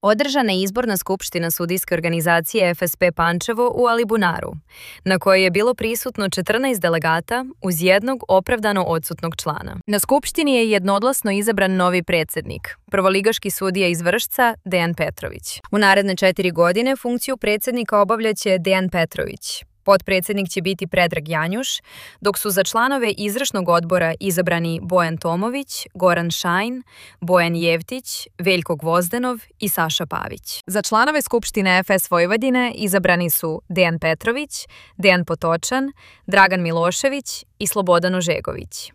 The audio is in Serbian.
Održana je izborna skupština sudijske organizacije FSP Pančevo u Alibunaru, na kojoj je bilo prisutno 14 delegata uz jednog opravdano odsutnog člana. Na skupštini je jednoglasno izabran novi predsjednik, prvoligaški sudija iz Vršca Dejan Petrović. U naredne 4 godine funkciju predsjednika obavljaće Dejan Petrović. Potpredsjednik će biti Predrag Janjuš, dok su za članove izvršnog odbora izabrani Bojan Tomović, Goran Šajn, Bojan Jevtić, Veljko Gvozdenov i Saša Pavić. Za članove Skupštine FS Vojvodine izabrani su Dejan Petrović, Dejan Potočan, Dragan Milošević i Slobodan Ožegović.